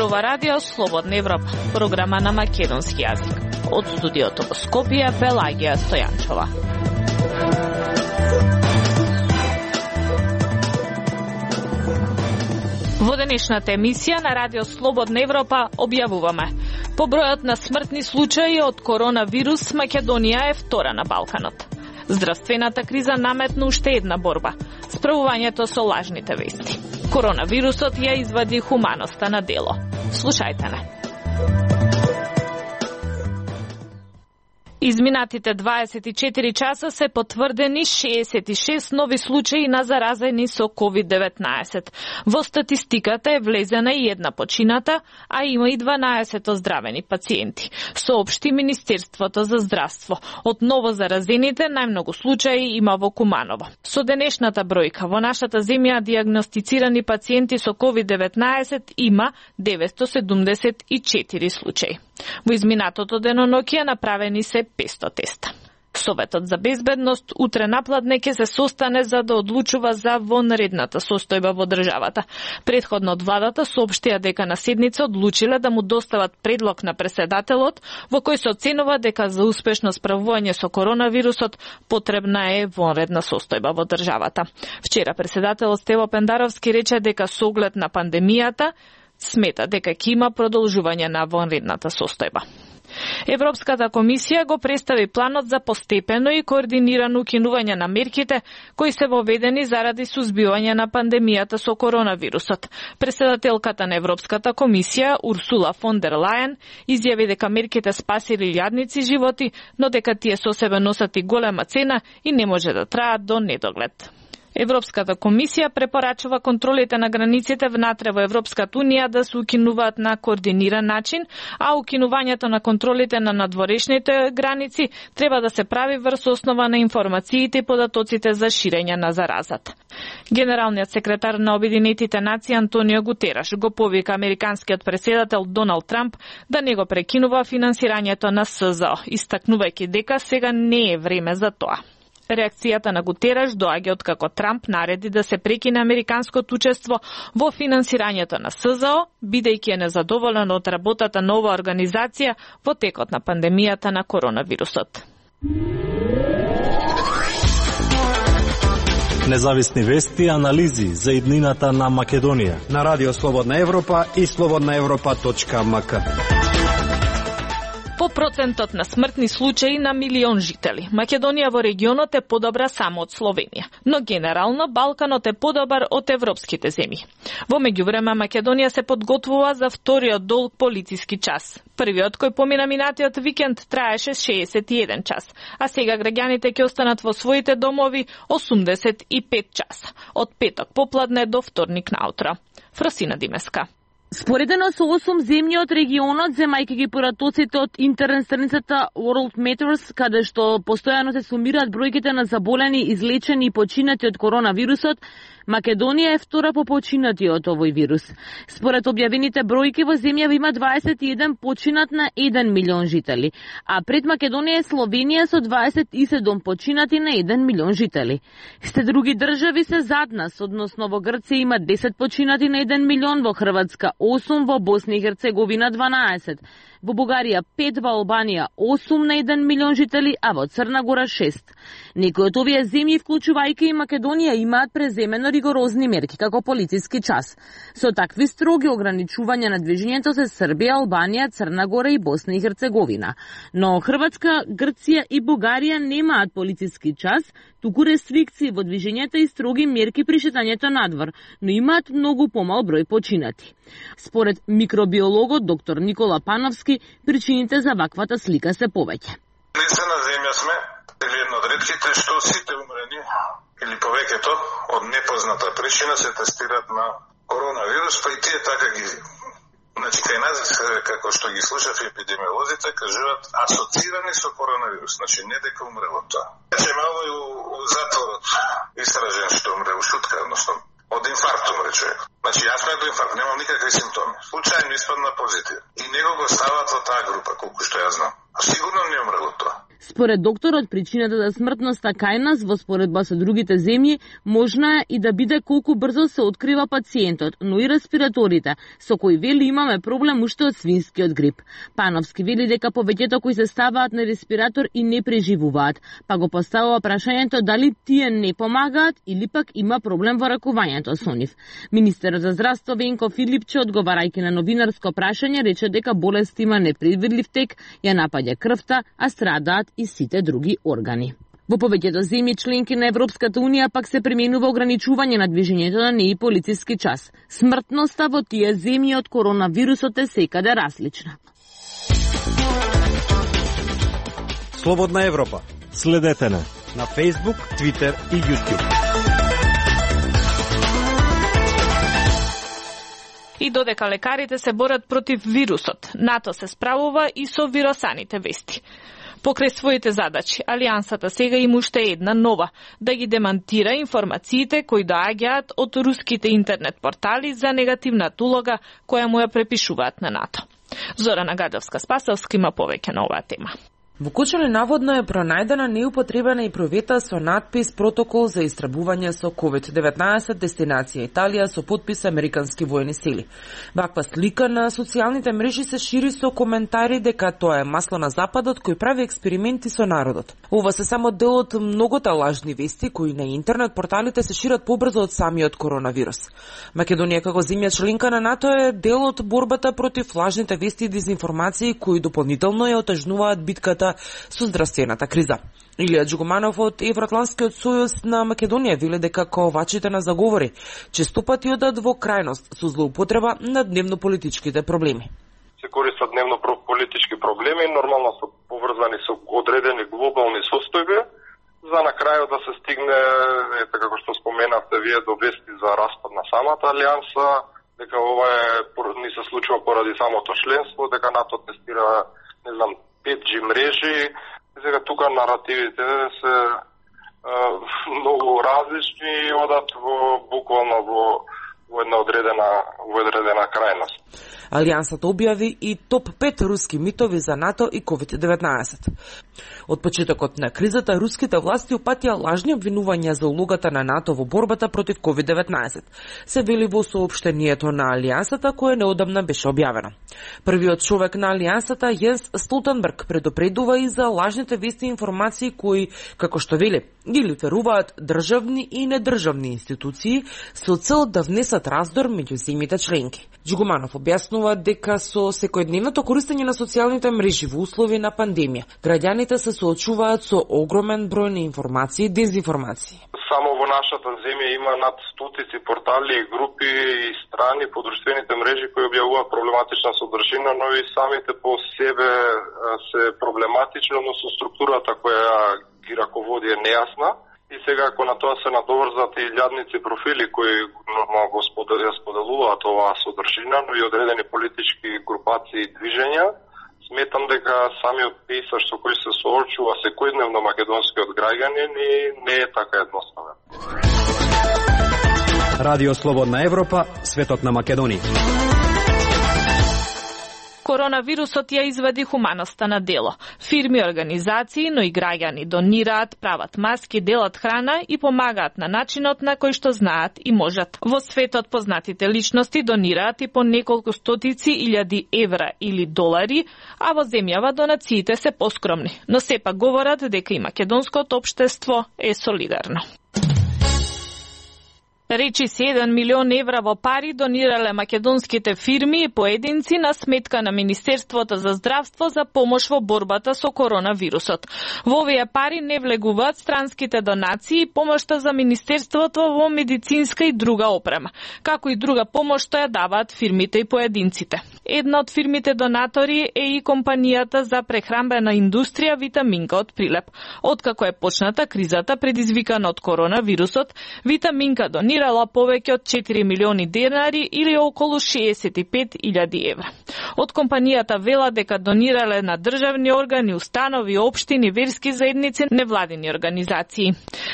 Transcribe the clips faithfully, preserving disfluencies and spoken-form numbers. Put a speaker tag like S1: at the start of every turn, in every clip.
S1: ова радио Слободна Европа, програма на македонски јазик. Од студиото во Скопје, Пелагија Стојанчова. Во денешната емисија на радио Слободна Европа објавуваме: по бројот на смртни случаи од коронавирус, Македонија е втора на Балканот. Здравствената криза наметна уште една борба – справувањето со лажните вести. Коронавирусот ја извади хуманоста на дело. Слушајте не. Изминатите дваесет и четири часа се потврдени шеесет и шест нови случаи на заразени со ковид деветнаесет. Во статистиката е влезена и една почината, а има и дванаесет оздравени пациенти, соопшти Министерството за здравство. Од ново заразените најмногу случаи има во Куманово. Со денешната бројка во нашата земја дијагностицирани пациенти со ковид деветнаесет има деветстотини седумдесет и четири случаи. Во изминатото деноноќие направени се петстотини теста. Советот за безбедност утре напладне ќе се состане за да одлучува за вонредната состојба во државата. Претходно од владата соопштија дека на седница одлучиле да му достават предлог на претседателот во кој се оценува дека за успешно справување со коронавирусот потребна е вонредна состојба во државата. Вчера претседателот Стево Пендаровски рече дека со оглед на пандемијата смета дека ќе има продолжување на вонредната состојба. Европската комисија го представи планот за постепено и координирано укинување на мерките кои се воведени заради сузбивање на пандемијата со коронавирусот. Претседателката на Европската комисија Урсула фон дер Лајен изјави дека мерките спасили илјадници животи, но дека тие со себе носат и голема цена и не може да траат до недоглед. Европската комисија препорачува контролите на границите внатре во Европската унија да се укинуваат на координиран начин, а укинувањето на контролите на надворешните граници треба да се прави врз основа на информациите и податоците за ширење на заразата. Генералниот секретар на Обединетите нации Антонио Гутераш го повика американскиот претседател Доналд Трамп да не го прекинува финансирањето на С З О, истакнувајќи дека сега не е време за тоа. Реакцијата на Гутераш доаѓа од како Трамп нареди да се прекине американското учество во финансирањето на С З О, бидејќи е незадоволен од работата на оваа организација во текот на пандемијата на коронавирусот.
S2: Независни вести и анализи за иднината на Македонија
S3: на Радио Слободна Европа и слободна европа точка ем ка.
S1: По процентот на смртни случаи на милион жители, Македонија во регионот е подобра само од Словенија, но генерално Балканот е подобар од европските земји. Во меѓувреме Македонија се подготвува за вториот долг полициски час. Првиот кој помина минатиот викенд траеше шеесет и еден час, а сега граѓаните ќе останат во своите домови осумдесет и пет часа, од петок попладне до вторник наутро. Фросина Димеска.
S4: Споредено со осум земји од регионот, земајќи ги поратоците од интернет страницата World Matters, каде што постојано се сумираат бројките на заболени, излечени и починати од коронавирусот, Македонија е втора по починати од овој вирус. Според објавените бројки во земјава има дваесет и еден починат на еден милион жители, а пред Македонија е Словенија со дваесет и седум починати на еден милион жители. Сте други држави се зад нас, односно во Грција има десет починати на еден милион, во Хрватска осум, во Босна и Херцеговина дванаесет, во Бугарија пет, во Албанија осум на еден милион жители, а во Црна Гора шест. Некои од овие земји, вклучувајќи и Македонија, имаат преземено ригорозни мерки како полициски час. Со такви строги ограничувања на движењето се Србија, Албанија, Црна Гора и Босна и Херцеговина. Но Хрватска, Грција и Бугарија немаат полициски час, туку рестрикции во движењето и строги мерки при шетањето надвор, но имаат многу помал број починати. Според микробиологот доктор Никола Пановски, причините за ваквата слика се повеќе.
S5: Единствена земја сме, или една од ретките, што сите умрени, или повеќето, од непозната причина се тестираат на коронавирус, па и тие така ги... Значи, кај нас, како што ги слушав епидемиолозите, кажуваат асоцирани со коронавирус, значи не дека умрело тоа. Значи, мало и у, у затворот истражен што умре, у шутка, односно, од инфаркт умре човек. Значи, јас ме до инфаркт, немам никакви симптоми. Случајно испадна позитив. И него го стават во таа група, колку што ја знам. А сигурно не умрело тоа.
S4: Според докторот, причината за смртноста кај нас во споредба со другите земји можна е и да биде колку брзо се открива пациентот, но и респираторите, со кои вели имаме проблем уште од свинскиот грип. Пановски вели дека повеќето кои се ставаат на респиратор и не преживуваат, па го поставува прашањето дали тие не помагаат или пак има проблем во ракувањето со нив. Министерот за здравство Венко Филипче, одговарајќи на новинарско прашање, рече дека болест има непредвидлив тек, ја напаѓа крвта, а страдаат и сите други органи. Во повеќето земји членки на Европската унија пак се применува ограничување на движењето на неи полициски час. Смртноста во тие земји од коронавирусот е секаде различна.
S3: Слободна Европа.
S2: Следете на
S3: на Facebook, Twitter и YouTube.
S1: И додека лекарите се борат против вирусот, НАТО се справува и со вирусаните вести. Покрај своите задачи, Алијансата сега има уште една нова, да ги демантира информациите кои доаѓаат од руските интернет портали за негативната улога која му ја препишуваат на НАТО. Зорана Гадовска-Спасовска има повеќе на оваа тема.
S6: Во Кочани наводно е пронајдена неупотребена и провета со надпис «Протокол за истребување со ковид деветнаесет дестинација Италија со подпис американски воени сили». Ваква слика на социјалните мрежи се шири со коментари дека тоа е масло на Западот кој прави експерименти со народот. Ова се само дел од многота лажни вести кои на интернет порталите се шират побрзо од самиот коронавирус. Македонија како земја членка на НАТО е дел од борбата против лажните вести и дезинформации кои дополнително ја отежнуваат битката со здравствената криза. Илија Джугуманов од Евроатлантскиот сојуз на Македонија вели дека ковачите на заговори често пати одат во крајност со злоупотреба на дневно-политичките проблеми.
S5: Се користат дневно-политички проблеми, нормално се поврзани со одредени глобални состојби, за на крајот да се стигне, ете како што споменавте вие, до вести за распад на самата алијанса, дека ова е ни се случува поради самото членство, дека НАТО тестира, не знам, пет джи мрежи. Сега тука наративите се е, многу различни и одат во буквално во во една одредена во одредена крајност.
S6: Алијансата објави и топ пет руски митови за НАТО и ковид деветнаесет. Од почетокот на кризата, руските власти упатија лажни обвинувања за улогата на НАТО во борбата против ковид деветнаесет. Се вели во соопштението на Алијансата, кое неодамна беше објавено. Првиот човек на Алијансата, Јенс Столтенберг, предупредува и за лажните вести и информации кои, како што вели, ги лиферуваат државни и недржавни институции со цел да внесат раздор меѓу земјите членки. Джугуманов објаснува дека со секојдневното користење на социјалните мрежи во услови на пандемија, граѓаните се соочуваат со огромен број на информации и дезинформации.
S5: Само во нашата земја има над стотици портали и групи и страни по друштвените мрежи кои објавуваат проблематична содржина, но и самите по себе се проблематични, односно структурата која ги раководи е нејасна. И сега ако на тоа се надоврзат и илјадници профили кои нормално го споделуваат оваа содржина, но и одредени политички групации и движења, сметам дека самиот пейсаж со кој се соочува секојдневно македонскиот граѓанин и не е така едноставен.
S3: Радио Слободна Европа, светот на Македонија.
S1: Коронавирусот ја извади хуманоста на дело. Фирми, организации, но и граѓани донираат, прават маски, делат храна и помагаат на начинот на кој што знаат и можат. Во светот познатите личности донираат и по неколку стотици илјади евра или долари, а во земјава донациите се поскромни. Но сепак говорат дека и македонското општество е солидарно. Речи се еден милион евра во пари донирале македонските фирми и поединци на сметка на Министерството за здравство за помош во борбата со коронавирусот. Во овие пари не влегуваат странските донации и помошта за Министерството во медицинска и друга опрема, како и друга помош што ја даваат фирмите и поединците. Една од фирмите донатори е и компанијата за прехранбена индустрија Витаминка од Прилеп. Откако е почната кризата предизвикана од коронавирусот, Витаминка донира донирала повеќе од четири милиони денари или околу шеесет и пет илјади евра. Од компанијата вела дека донирале на државни органи, установи, општини, верски заедници, невладини организации.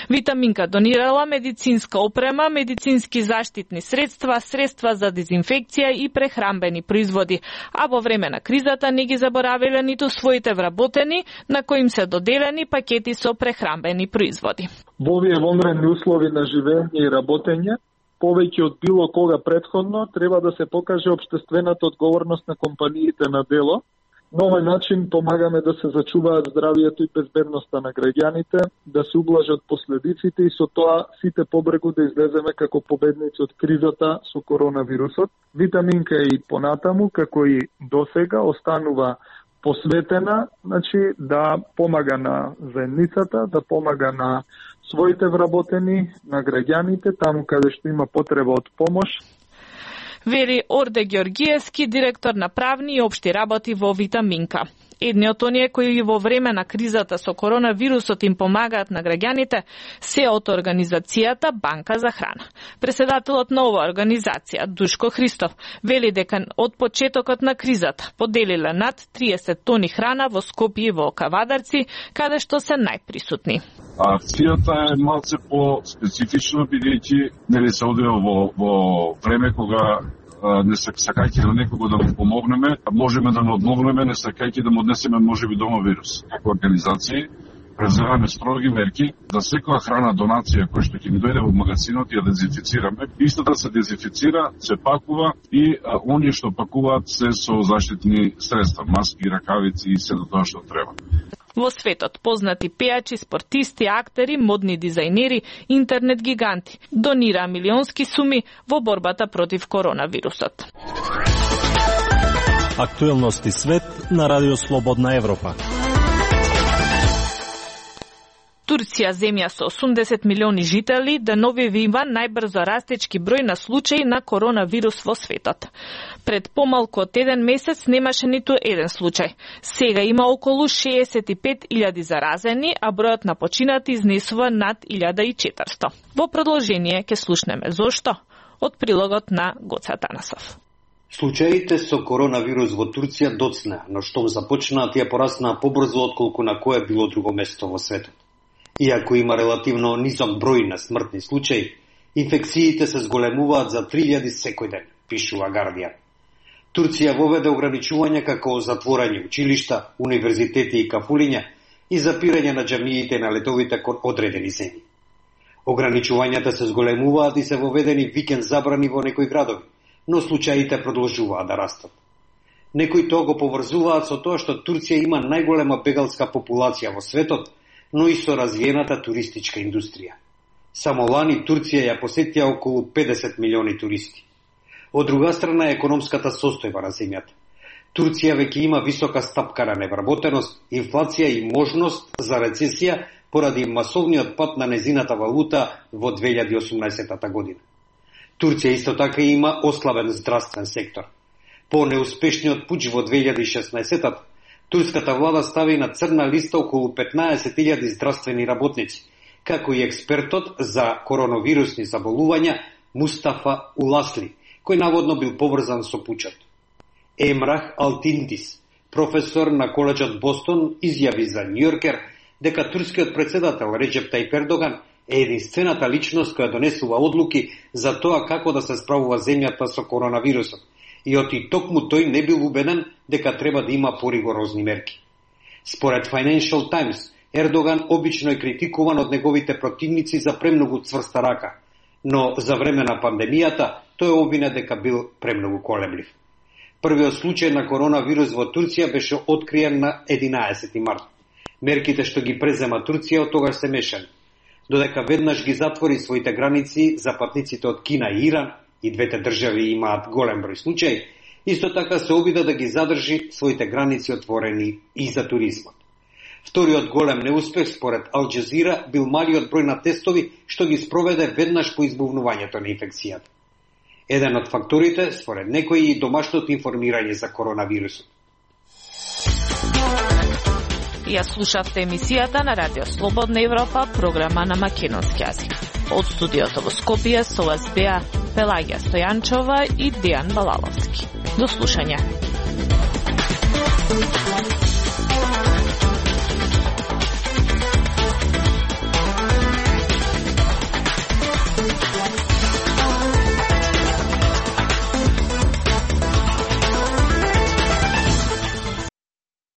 S1: Витаминка донирала медицинска опрема, медицински заштитни средства, средства за дезинфекција и прехранбени производи, а во време на кризата не ги заборавиле ниту своите вработени, на кои им се доделени пакети со прехранбени производи.
S7: Во овие вонредни услови на живење и работење, повеќе од било кога претходно, треба да се покаже општествената одговорност на компаниите на дело. На овој начин помагаме да се зачуваат здравието и безбедноста на граѓаните, да се ублажат последиците и со тоа сите побрегу да излеземе како победници од кризата со коронавирусот. Витаминка и понатаму, како и досега, останува посветена, значи да помага на заедницата, да помага на своите вработени, на граѓаните, таму каде што има потреба од помош.
S1: Вели Орде Георгиевски, директор на правни и општи работи во Витаминка. Едни од оние кои во време на кризата со коронавирусот им помагаат на граѓаните се од организацијата Банка за храна. Преседателот на оваа организација, Душко Христов, вели дека од почетокот на кризата поделиле над триесет тони храна во Скопје и во Кавадарци, каде што се најприсутни.
S8: Акцијата е малце по-специфична, бидејќи нели се одвива во, во време кога не сакајќи на некого да му помогнеме, можеме да му одмогнеме, не сакајќи да му однесеме можеби дома вирус. Како организации преземаме строги мерки да секоја храна донација која што ќе ни дојде во магазинот ја дезинфицираме. Истата се дезинфицира, се пакува и а, оние што пакуваат се со заштитни средства, маски, ракавици и се до тоа што треба.
S1: Во светот познати пејачи, спортисти, актери, модни дизајнери, интернет гиганти донираа милионски суми во борбата против коронавирусот.
S2: Актуелности свет на Радио Слободна Европа.
S1: Турција, земја со осумдесет милиони жители, деновивива најбрзо растечки број на случаи на коронавирус во светот. Пред помалку од еден месец немаше ниту еден случај. Сега има околу шеесет и пет илјади заразени, а бројот на починати изнесува над илјада и четиристо. Во продолжение ќе слушнеме зошто од прилогот на Гоца Танасов.
S9: Случаите со коронавирус во Турција доцнеа, но штом започнаа тие пораснаа побрзо отколку на кое било друго место во светот. Иако има релативно низок број на смртни случаи, инфекциите се зголемуваат за три илјади секој ден, пишува Гардијан. Турција воведе ограничувања како затворање училишта, универзитети и кафулиња и запирање на џамиите на летовите кон одредени земји. Ограничувањата се зголемуваат и се воведени викенд забрани во некои градови, но случаите продолжуваат да растат. Некои тоа го поврзуваат со тоа што Турција има најголема бегалска популација во светот, но и со развиената туристичка индустрија. Само лани Турција ја посетија околу педесет милиони туристи. Од друга страна е економската состојба на земјата. Турција веќе има висока стапка на невработеност, инфлација и можност за рецесија поради масовниот пад на незината валута во две илјади и осумнаесетта година. Турција исто така има ослабен здравствен сектор. По неуспешниот пуч во две илјади и шеснаесетта турската влада стави на црна листа околу петнаесет илјади здравствени работници, како и експертот за коронавирусни заболувања Мустафа Уласли, кој наводно бил поврзан со пучот. Емрах Алтинтис, професор на коледжот Бостон, изјави за Њујоркер дека турскиот председател Реџеп Тајип Ердоган е единствената личност која донесува одлуки за тоа како да се справува земјата со коронавирусот, и оти токму тој не бил убеден дека треба да има поригорозни мерки. Според Financial Times, Ердоган обично е критикуван од неговите противници за премногу цврста рака, но за време на пандемијата тој обвине дека бил премногу колеблив. Првиот случај на коронавирус во Турција беше откриен на единаесети март. Мерките што ги презема Турција од тогаш се мешани. Додека веднаш ги затвори своите граници за патниците од Кина и Иран, и двете држави имаат голем број случаи, исто така се обида да ги задржи своите граници отворени и за туризмот. Вториот голем неуспех според Ал Џазира бил малиот број на тестови што ги спроведе веднаш по избувнувањето на инфекцијата. Еден од факторите, според некои, и домашното информирање за коронавирусот.
S1: Ја слушавте емисијата на Радио Слободна Европа, програма на македонски јазик. Од студиото во Скопје со вас беа Пелагија Стојанчова и Дејан Балаловски. До слушање.